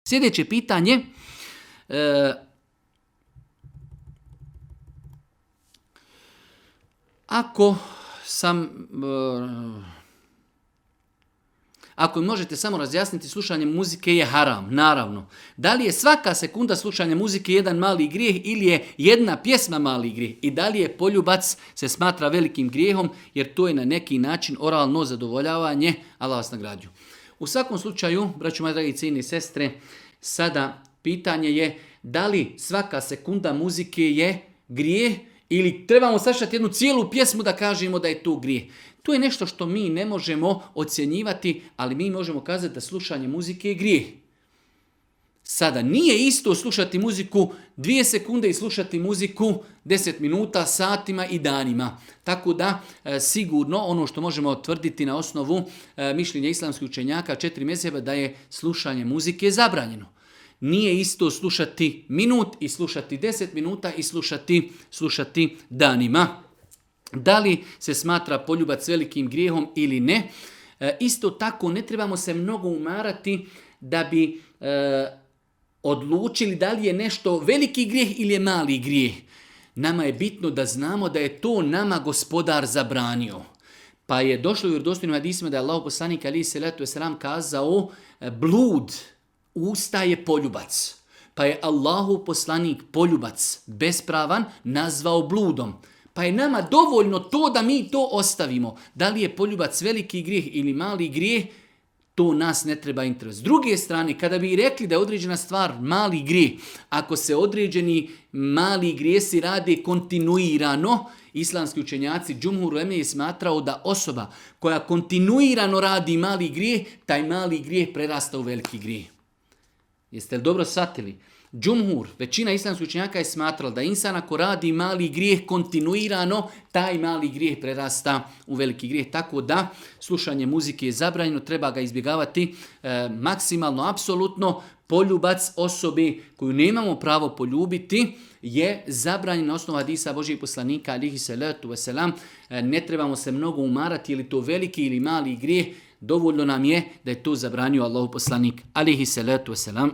Sljedeće pitanje. Ako možete samo razjasniti, slušanje muzike je haram, naravno. Da li je svaka sekunda slušanja muzike jedan mali grijeh ili je jedna pjesma mali grijeh? I da li je poljubac se smatra velikim grijehom jer to je na neki način oralno zadovoljavanje, Allah vas nagrađuje. U svakom slučaju, braćo moje dragi cijene i sestre, sada pitanje je da li svaka sekunda muzike je grijeh ili trebamo slušati jednu cijelu pjesmu da kažemo da je to grijeh. To je nešto što mi ne možemo ocjenjivati, ali mi možemo kazati da slušanje muzike je grijeh. Sada, nije isto slušati muziku 2 sekunde i slušati muziku 10 minuta, satima i danima. Tako da, sigurno, ono što možemo tvrditi na osnovu mišljenja islamskih učenjaka 4 mezheba da je slušanje muzike zabranjeno. Nije isto slušati minut i slušati 10 minuta i slušati danima. Da li se smatra poljubac velikim grijehom ili ne? Isto tako ne trebamo se mnogo umarati da bi odlučili da li je nešto veliki grijeh ili je mali grijeh. Nama je bitno da znamo da je to nama gospodar zabranio. Pa je došlo u vjerodostojnim hadisima da je Allahov poslanik alejhi selatu vesselam kazao blud usta je poljubac. Pa je Allahov poslanik poljubac bespravan nazvao bludom. Pa je nama dovoljno to da mi to ostavimo. Da li je poljubac veliki grijeh ili mali grijeh, to nas ne treba interesovati. S druge strane, kada bi rekli da je određena stvar mali grijeh, ako se određeni mali grijesi rade kontinuirano, islamski učenjaci džumhur uleme je smatrao da osoba koja kontinuirano radi mali grijeh, taj mali grijeh prerasta u veliki grijeh. Jeste li dobro shvatili? Džumhur, većina islamskih učenjaka je smatrala da insan ako radi mali grijeh kontinuirano, taj mali grijeh prerasta u veliki grijeh. Tako da slušanje muzike je zabranjeno, treba ga izbjegavati maksimalno, apsolutno. Poljubac osobe koju nemamo pravo poljubiti je zabranjen na osnovu hadisa Božijeg poslanika alejhi selatu vesselam. Ne trebamo se mnogo umarati je li to veliki ili mali grijeh. Dovoljno nam je da je to zabranio Allahov poslanik alejhi selatu vesselam.